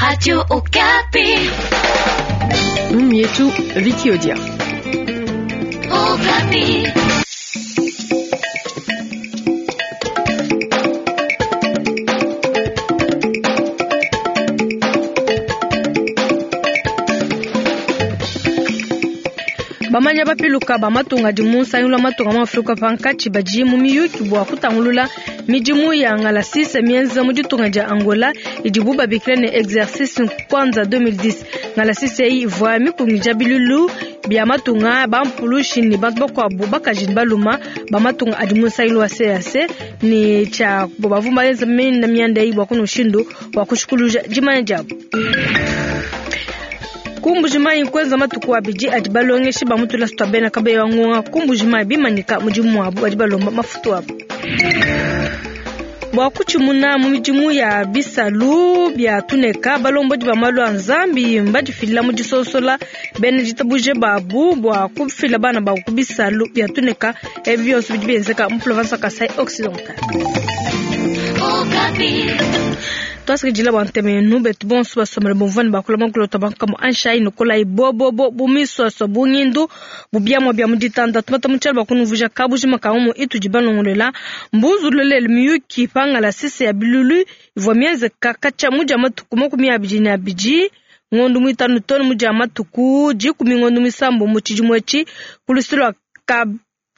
Radio Okapi. Mietu Vicky Odia. Okapi. Bamanya bapiluka ba matunga adi mu nsangilu wa matunga mu Afrika pankatshi badi mu miyuki bua kutangulula midimu ya ngalasise mienza mu ditunga dia Angola idibu babikila ne exercice Kwanza 2010. Ngalasise eyi ivua mikungija bilulu bia matunga bampulushi ne bantu bakuabu bakaji ne baluma ba matunga adi mu nsangilu wa CAC ne tshia bavua baenza minda mianda eyi bua kuna mushindu wa kushikuluja dimanya diabu. Ku Mbujimayi kuenza matuku abidi adi balongeshi ba mu tulasa tua bena Kabeya wa Ngonga ku Mbujimayi bimanyika mudimu wabu badi balomba mafutu abu. Bua kutshimuna mu midimu ya bisalu bia tuneka, balombodi ba malu a Nzambi mbadifila mu disonsola bena ditabuje babu bua kufila bana babu ku bisalu bia tuneka. Ebi bionso bidi bienzeka mu province wa Kasai Occidental. Tuasakidila bua ntema yenu betu bonso basomele bumvua ne bakula makulota bankamu anshai nukolayi bobobo bumiswaswa bungindu bubiamua bia mu ditanda tumata mu tshialo bakunuvuja kabujima ka umu itudi balongolola mbunzululele miyuki pangala sise ya bilulu ivua mienzeka katshia mudia matuku 22 ngondo muitanu tone mudia matuku 10 ngondo misambo mu tshidimu etshi ku lusu lua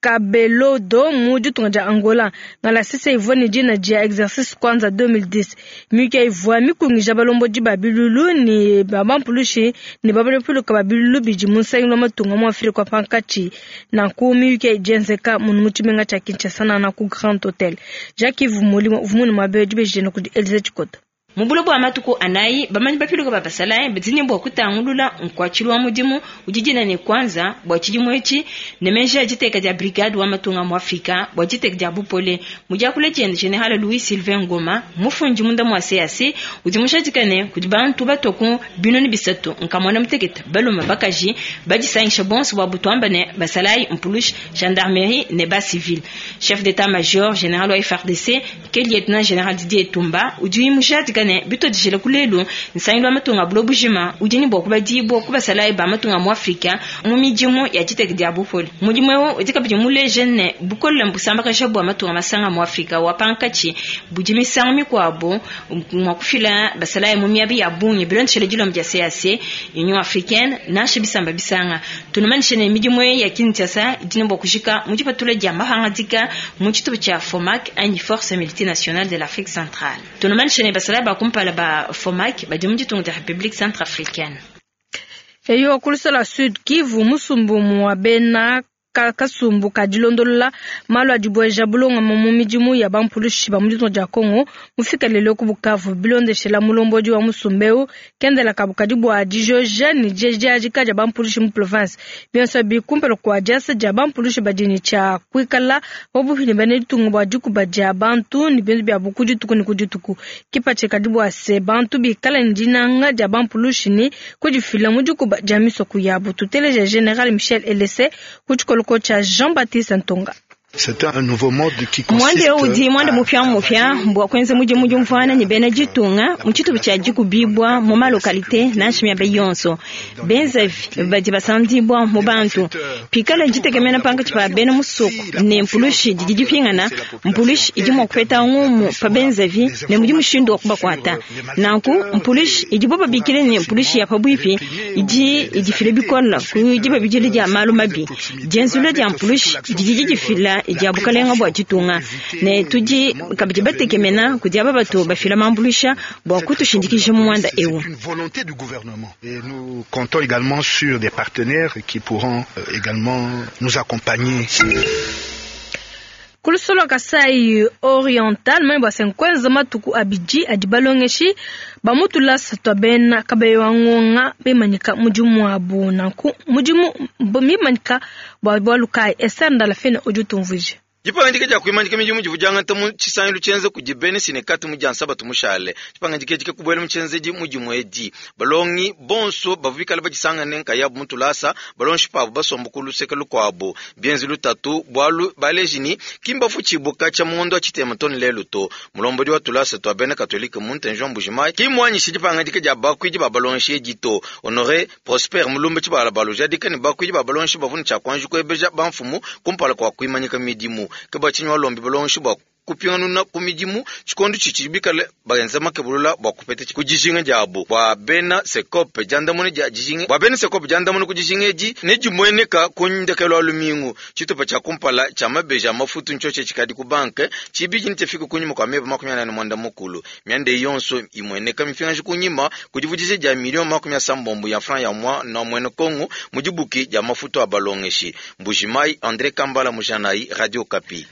Kabelodo mu ditunga dia Angola. Ngalasise ivua ne dina dia exercice Kwanza 2010. Miyuki ivua mikungija balombodi ba bilulu ne ba bampulushi ne babalopuluka ba bilulu bidi mu nsangilu wa matunga mu Afrika wa pankatshi. Nanku miyuki idienzeka munu mu tshimenga tshia Kinshasa nana ku Grand Hotel. Jacques Yves Molimo uvua munu muabe dibeji kudi Elise Tshikota. Mu bulo bua matuku anayi bamanyi bapiluka ba basalayi badi ne bua kutangulula nkuatshilu wa mudimu udi dina ne Kwanza bua tshidimu etshi ne meji a diteka dia brigade wa matunga mu Afrika bua diteka dia bupole. Mu diakula diende General Louis Sylvain Ngoma mufundi munda mua CAC udi mushadika ne kudi bantu batua ku binunu bisatu nkamona mutekete balume bakaji badisangisha bonso bua butuamba ne basalayi mpulushi gendarmerie ne ba civil. Chef d'état-major général wa FARDC ke lieutenant général Didier Tumba udi mushadika ne bitodijele kulelu nsangilu wa matunga bulo bujima udi ne bua kubadibua ku basalayi ba matunga mu Afrika mu midimu ya diteka dia bupole. Mudimu eu udi kabidi muleje ne bukole mbusambakaja bua matunga masanga mu Afrika wa pankatshi budi misangu mikuabu mua kufila basalayi mu miaba ya bungi bilondeshele dilomba dia CAC Union Africaine nansha bisamba bisanga. Tunumanishe ne midimu ya Kinshasa idi ne bua kujika mu dipatula dia mahangadika mu tshitupa tshia FOMAC anyi Force Multinationale de l'Afrique Centrale. Tunumanishe ne basalayi ba kumpala ba FOMAC badi mu ditunga dia République Centrafricaine. Eyo ku lusala Sud Kivu musumbu wa bena kasumbu ka dilondolola malu a dibueja bulongama mu midimu ya bampulushi ba mu ditunga dia Congo mufika lelo ku Bukavu bilondeshela mulombodi wa musumba eu kendela kabu kadi bua dijoja ne diadiadika dia bampulushi mu province bionso bikumpela kua diasa dia bampulushi badi ne tshia kuikala pabupi ne bena ditunga bua dikuba dia bantu ne bintu biabu ku dituku ne ku dituku. Kipatshi kadi bua se bantu bikala ne dinanga dia bampulushi ne kudifila mu dikuba dia misoko yabu. Tuteleja General Michel Elese ku tshikoloko cha Jean-Baptiste Ntonga. Mwanda eu udi mwanda mupia bua kuenza mudimu diumvuana ne bena ditunga mu tshitupa tshia dikubibua mu malokalite nansha miaba yonso. Benzavi badi basandibua mu bantu pikala ditekemena pankatshi pa bena musoko ne mpulushi didi dipingana mpulushi idi mua kupeta ngumu pa benzavi ne mudi mushindu wa kubakuata. Nanku mpulushi idibo babikile ne mpulushi ya pabuipi idi idifila bikole ku dibabidila dia malu mabi. Dienzula dia mpulushi didi didifila dia bukalenga bua ditunga ne tudi kabidi batekemena kudi aba batu bafila mambulusha bua kutushindikija mu mwanda eu. Et nous comptons également sur des partenaires qui pourront également nous accompagner. Ku lusolo Kasai Oriental mani bua senkwenza matuku abidi adi balongeshi ba mu tulasa tua bena Kabeya wa Ngonga bimanyika mudimu wabu nanku mudimu mimanyika bua bualu kayi Esther Ndalafene udi utumvuija. Dipangadika dia kuimanyika midimu divua diangata mu tshisangilu tshienza kudi bena Sinekat mu dia Nsabatu mushale. Dipangadika edi kakubuela mu tshienzedi mu dimue edi. Balongi bonso bavua bikale badisangane nkayabu mu tulasa, balongeshi pabu basomba ku luseke lukuabu. Bienze lutatu bualu baleji ne, ki mbafutshibue katshia mu ngondo wa tshitema too ne lelu to. Mulombodi wa tulasa tua bena Katolike mu Ntenji wa Mbuji-Mayi ki mmuanyishe dipangadika dia bakuidi ba balongeshi edi to. Honore Prosper Mulumba Tshibalabala ujadika ne, bakuidi ba balongeshi bavua ne tshia kuanji kuebeja bamfumu kumpala kua kuimanyika midimu. Ke bua tshinyi walombi balongeshi bua kupinganuna ku midimu tshikondo tshitshidi bikale benza makebulula bua kupeta ku dijinga diabu. Bua bena Sekope, diandamuna dia dijinga bua bena Sekope, diandamuna ku dijinga edi nedimueneka ku ndekelu wa lumingu. Tshitupa tshia kumpala tshia mabeji a mafutu ntshiotshi tshikadi ku banke, tshibidi netshifike kunyima kua meba 48. Mianda eyi yonso imueneka mipingaji kunyima ku divudija dia miliyo 80 ya francs ya muana muena Kongo mu dibuki dia mafutu a balongeshi. Mbuji-Mayi, Andre Kambala Mujanayi, Radio Okapi.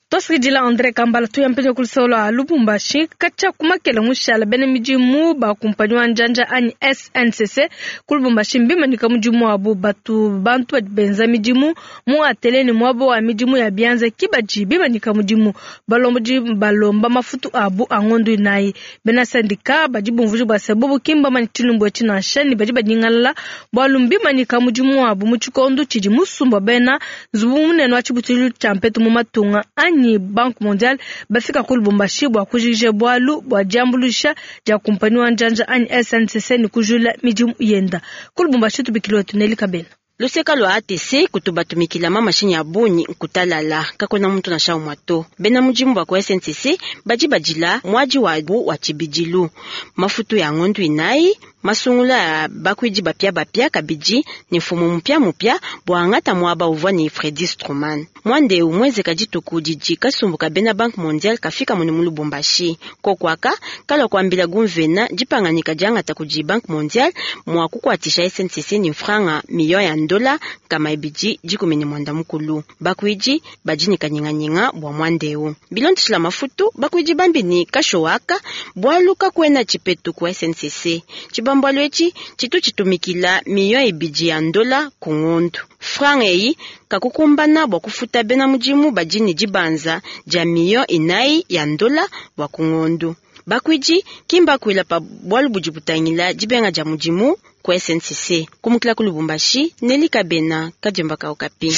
Tuasakidila Andre Kambala tuya mpenya ku luseke lua Lubumbashi katshia ku makele mushala bena midimu ba kumpanyi wa njanja anyi SNCC ku Lubumbashi mbimanyika mudimu wabu batu bantu badi benza midimu mu atelier ne muaba wa midimu ya bianza ki badi bimanyika mudimu balombodi balomba mafutu abu a ngondo inayi bena sendika badi bumvuija bua se bobu ki mbamanye tshilumbu etshi nansha ne badi banyingalala bualu mbimanyika mudimu wabu mu tshikondo tshidi musumba bena nzubu munene wa tshibutulu tshia mpetu mu matunga anyi Banque mondiale bafika ku Lubumbashi bua kujikija bualu bua diambuluisha dia kumpanyi wa njanja anyi SNCC ne kujula midimu yenda ku Lubumbashi. Tubikile wetu Neli Kabena. Luseka lua ATC kutu batumikila ma mashinyi a bungi nkutalala, kakuena muntu nansha umue to. Bena mudimu ba ku SNCC badi badila muadi wabu wa tshibidilu, mafutu ya ngondu inayi, masungula a bakuidi bapiabapia kabidi ne mfumu mupiamupia bua angata muaba uvua ne Freddy Stroman. Muanda eu muenzeka dituku didi kasumbu ka bena Banque mondiale kafika munu mu Lubumbashi. Koku aka kalua kuambila gumvena dipanganika diangata kudi Banque mondiale mua kukuatshisha SNCC ne mfranga miliyo ya ndola 260. Bakuidi badi ne kanyinganyinga bua muanda eu. Bilondeshila mafutu bakuidi bambi ne kashoaka bualu kakuena tshipetu ku SNCC. Tshibambalu etshi tshitu tshitumikila miliyo 2 ya ndola ku ngondu. Franga eyi kakukumbana bua kufuta bena mudimu badi ne dibanza dia miliyo 4 ya ndola bua ku ngondu. Bakuidi kimbakuila pa bualu budi butangila dibenga dia mudimu ku SNCC. Kumukila ku Lubumbashi, Neli Kabena, Kadiomba ka Okapi.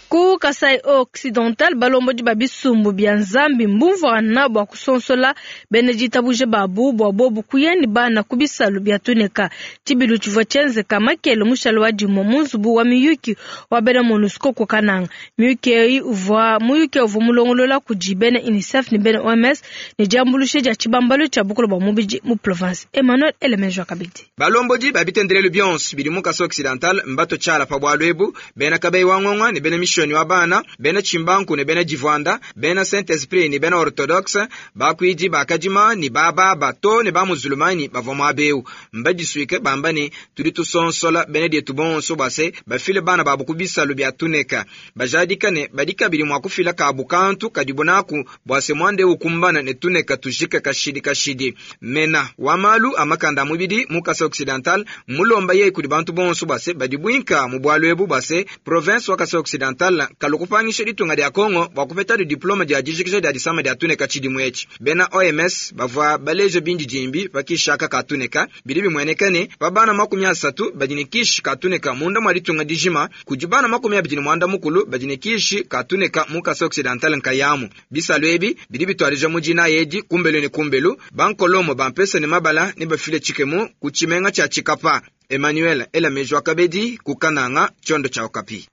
Ku Kasai Occidental balombodi ba bisumbu bia Nzambi mbumvuana bua kusonsola bena ditabuja babu bua bobu kuya ne bana ku bisalu bia tuneka. Tshibilu tshivua tshienzeka makele mushale wa dimue mu nzubu wa miyuki wa bena MONUSCO ku Kananga. Miyuki eyi uvua muyuki uvua mulongolola kudi bena UNICEF ne bena OMS ne diambuluisha dia tshibambalu tshia bukole bua mubidi mu province. Emmanuel Elemejo kabidi. Balombodi ba bitendelelu bionso bidi mu Kasai Occidental mbato tshiala pa bualu ebu, bena Kabeyi wa Ngonga ne bena Mishonyi wa bana, bena Tshimbanku ne bena Divuanda, bena Saint Esprit ne bena Orthodoxe, bakuidi ba Kadima ne ba baba to ne ba Muzulumanyi bavua muaba eu. Mbadisuike bamba ne, tudi tusonsola bena dietu bonso bua se bafile bana babu ku bisalu bia tuneka. Bajadika ne badi kabidi mua kufila kabu kantu kadibu naku bua se muanda eu ukumbana ne tuneka tujike kashidi kashidi. Mena wa malu a makanda a mubidi mu Kasai Occidental mmulomba yeye kudi bantu bonso bua se badibuinka mu bualu ebu bua se province wa Kasai Occidental kalu kupangisha ditunga dia Congo bua kupetadi diplome dia dijikija dia disama dia tuneka tshidimu etshi. Bena OMS bavua baleja bindidimbi pa kishaka ka tuneka. Bidi bimueneka ne pa bana 30 badi ne kishi ka tuneka munda mua ditunga dijima, kudi bana 29 badi ne kishi ka tuneka mu Kasai Occidental nkayamu. Bisalu ebi bidi bituadija mu dinayi edi kumbelu ne kumbelu. Bankolomo ba mpesa ne mabala ne bafile tshikemu ku tshimenga tshia Tshikapa. Emmanuel Elameji wa Kabedi ku Kananga, tshiondo tshia Okapi.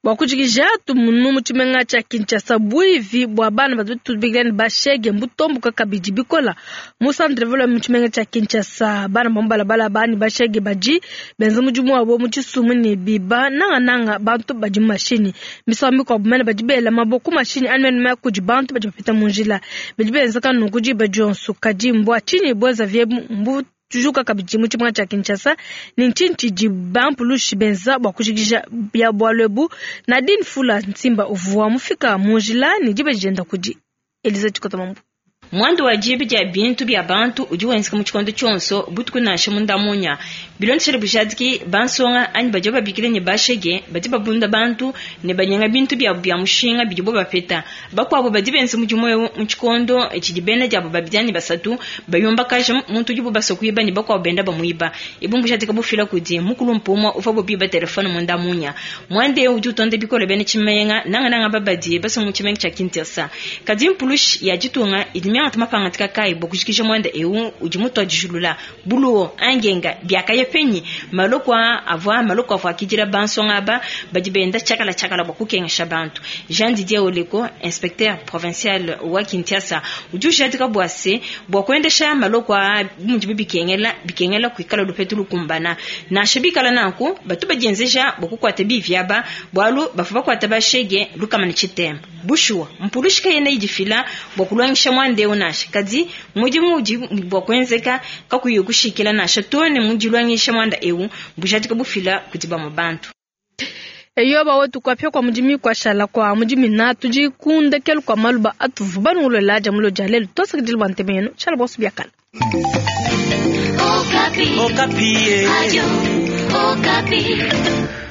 Bua kujikija tumunu mu tshimenga tshia Kinshasa buivi bua bana badi tubikila ne bashege mbutomboka kabidi bikola mu centre ville mu tshimenga tshia Kinshasa. Bana ba mu balabala bani bashege badi benza mudimu wabo mu tshisumu ne biba nangananga bantu badi mu mashinyi. Misangu mikuabu mene badi bela maboko ku mashinyi anyi mene kudi bantu badi bapita mu njila. Bidi benzeka nunku diba dionso. Kadi mbua tshinyi buenza viebu mbu tujuka kabidi mu tshimenga tshia Kinshasa ne ntshinyi tshidi bampulushi benza bua kujikija bia bualu ebu? Nadine Fula Nsimba uvua mufika mu njila ne diba dienda kudi Eliza Chikota Mambu. Muanda wa diba dia bintu bia bantu udi wenzeka mu tshikondo tshionso butuku nansha munda munya. Bilondeshele bujadiki bansonga anyi badi babikila ne bashege badi babunda bantu ne banyenga bintu biabu bia mushinga bidibo bapeta. Bakuabo badi benza mudimu eu mu tshikondo tshidi bena diabo babidi anyi basatu bayumbakaja muntu udibo basua kuiba ne bakuabo benda bamuiba. Ebu mbujadika bufila kudi mukulu mpumua uvua biba telefone munda munya. Muanda eu udi utonda bikole bena tshimenga nangananga babadi basua mu tshimenga tshia Kinshasa. Kadi mpulushi ya ditunga idi miangata mapangadika kayi bua kujikija muanda eu udi mutuadijilula buluwo angenga biakaya penyi maloko avua maloko avua akidila bansonga aba badi benda tshiakala tshiakala bua kukengesha bantu. Jean Didier Oleko, inspecteur provincial wa Kinshasa, udi ujadika bua se bua kuendesha maloko a mudibu bikengela bikengela kuikala lupetu lukumbana nansha bikala nanku batu badienzeja bua kukuata bivi aba bualu bavua bakuata bashege lukama ne tshitemba. Bushuwa mpulushi kayena idifila bua kulongesha muanda eu nansha kadi mudimu udi bua kuenzeka kakuyi kushikila nansha to ne mudilongesha muanda eu bujadika bufila kudi bamue bantu. Eyo bawetu kuapia kwa mudimi kuashala kwa mudimi na tudi kundekelu kwa maluba atuvu banungolola dia mulo dia lelu tosakidila bua ntema yenu tshala bonso biakala. Okapi. Okapi. Radio Okapi.